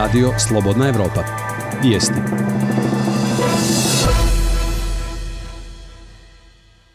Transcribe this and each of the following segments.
Radio Slobodna Evropa. Vijesti.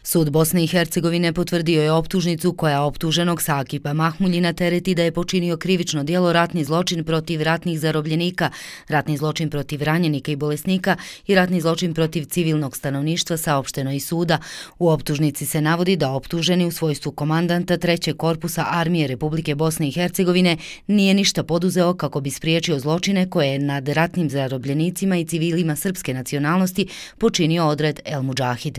Sud Bosne i Hercegovine potvrdio je optužnicu koja optuženog Sakipa Mahmuljina tereti da je počinio krivično djelo ratni zločin protiv ratnih zarobljenika, ratni zločin protiv ranjenika i bolesnika i ratni zločin protiv civilnog stanovništva, saopšteno iz suda. U optužnici se navodi da optuženi u svojstvu komandanta 3. korpusa Armije Republike Bosne i Hercegovine nije ništa poduzeo kako bi spriječio zločine koje je nad ratnim zarobljenicima i civilima srpske nacionalnosti počinio odred El Mudžahid.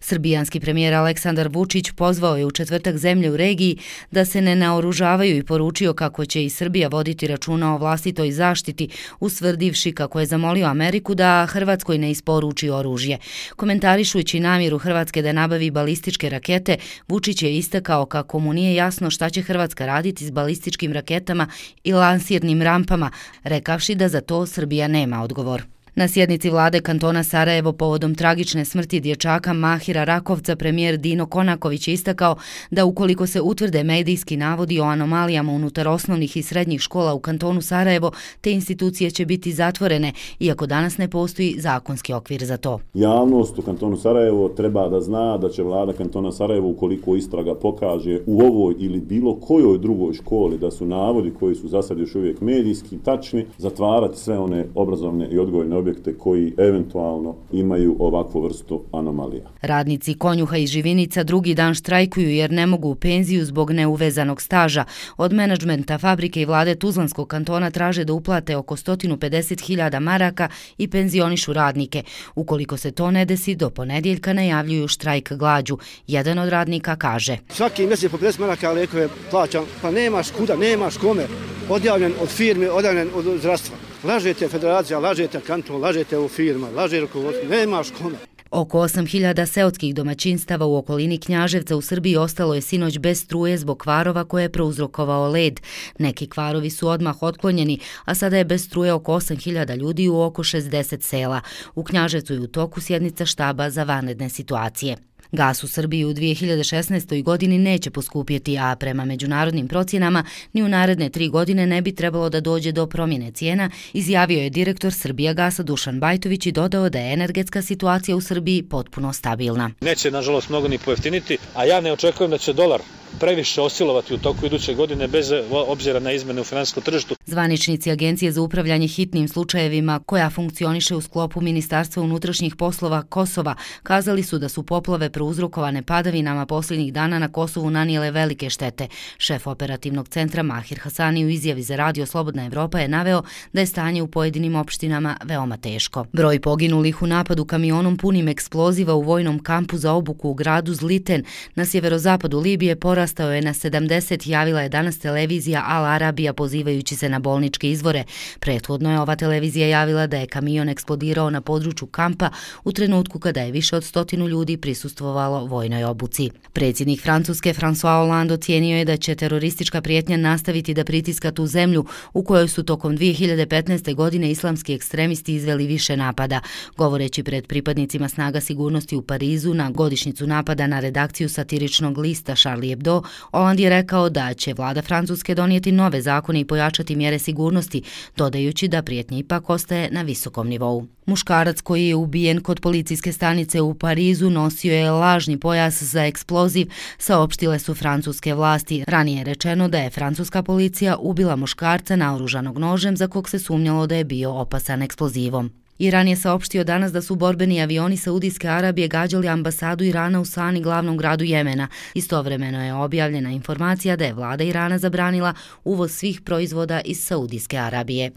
Srbijanski premijer Aleksandar Vučić pozvao je u četvrtak zemlje u regiji da se ne naoružavaju i poručio kako će i Srbija voditi računa o vlastitoj zaštiti, ustvrdivši kako je zamolio Ameriku da Hrvatskoj ne isporuči oružje. Komentarišujući namjeru Hrvatske da nabavi balističke rakete, Vučić je istakao kako mu nije jasno šta će Hrvatska raditi s balističkim raketama i lansirnim rampama, rekavši da za to Srbija nema odgovor. Na sjednici vlade kantona Sarajevo povodom tragične smrti dječaka Mahira Rakovca premijer Dino Konaković je istakao da ukoliko se utvrde medijski navodi o anomalijama unutar osnovnih i srednjih škola u kantonu Sarajevo, te institucije će biti zatvorene, iako danas ne postoji zakonski okvir za to. Javnost u kantonu Sarajevo treba da zna da će vlada kantona Sarajevo, ukoliko istraga pokaže u ovoj ili bilo kojoj drugoj školi da su navodi koji su za sad još uvijek medijski tačni, zatvarati sve one obrazovne i odgojne objekte koji eventualno imaju ovakvu vrstu anomalija. Radnici Konjuha i Živinica drugi dan štrajkuju jer ne mogu u penziju zbog neuvezanog staža. Od menadžmenta fabrike i vlade Tuzlanskog kantona traže da uplate oko 150.000 maraka i penzionišu radnike. Ukoliko se to ne desi, do ponedjeljka najavljuju štrajk glađu. Jedan od radnika kaže: svaki mjesec po 50 maraka lijekove plaćam, pa nemaš kuda, nemaš kome. Odjavljen od firme, odjavljen od zdravstva. Lažete federacija, lažete kanton, lažete u firma, laže rukovodstvo, nemaš kome. Oko 8.000 seoskih domaćinstava u okolini Knjaževca u Srbiji ostalo je sinoć bez struje zbog kvarova koje je prouzrokovao led. Neki kvarovi su odmah otklonjeni, a sada je bez struje oko 8.000 ljudi u oko 60 sela. U Knjaževcu je u toku sjednica štaba za vanredne situacije. Gas u Srbiji u 2016. godini neće poskupjeti, a prema međunarodnim procjenama ni u naredne 3 godine ne bi trebalo da dođe do promjene cijena, izjavio je direktor Srbijagasa Dušan Bajtović i dodao da je energetska situacija u Srbiji potpuno stabilna. Neće, nažalost, mnogo ni pojeftiniti, a ja ne očekujem da će dolar previše osilovati u toku iduće godine bez obzira na izmene u finansijskom tržištu. Zvaničnici Agencije za upravljanje hitnim slučajevima, koja funkcioniše u sklopu Ministarstva unutrašnjih poslova Kosova, kazali su da su poplave prouzrokovane padavinama posljednjih dana na Kosovu nanijele velike štete. Šef operativnog centra Mahir Hasani u izjavi za Radio Slobodna Evropa je naveo da je stanje u pojedinim opštinama veoma teško. Broj poginulih u napadu kamionom punim eksploziva u vojnom kampu za obuku u gradu Zliten na sjeverozapadu Libije porastao je na 70, javila je danas televizija Al Arabija pozivajući se na bolničke izvore. Prethodno je ova televizija javila da je kamion eksplodirao na području kampa u trenutku kada je više od 100 ljudi prisustvovalo vojnoj obuci. Predsjednik Francuske François Hollande ocijenio je da će teroristička prijetnja nastaviti da pritiska tu zemlju u kojoj su tokom 2015. godine islamski ekstremisti izveli više napada. Govoreći pred pripadnicima snaga sigurnosti u Parizu na godišnjicu napada na redakciju satiričnog lista Charlie Hebdo, Hollande je rekao da će vlada Francuske donijeti nove zakone i pojačati mjere sigurnosti, dodajući da prijetnja ipak ostaje na visokom nivou. Muškarac koji je ubijen kod policijske stanice u Parizu nosio je lažni pojas za eksploziv, saopštile su francuske vlasti. Ranije je rečeno da je francuska policija ubila muškarca naoružanog nožem za kog se sumnjalo da je bio opasan eksplozivom. Iran je saopštio danas da su borbeni avioni Saudijske Arabije gađali ambasadu Irana u Sani, glavnom gradu Jemena. Istovremeno je objavljena informacija da je vlada Irana zabranila uvoz svih proizvoda iz Saudijske Arabije.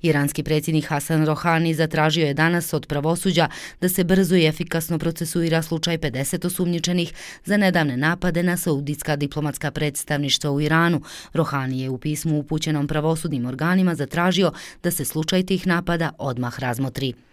Iranski predsjednik Hasan Rohani zatražio je danas od pravosuđa da se brzo i efikasno procesuira slučaj 50 osumnjičenih za nedavne napade na saudijska diplomatska predstavništva u Iranu. Rohani je u pismu upućenom pravosudnim organima zatražio da se slučaj tih napada odmah razmotri.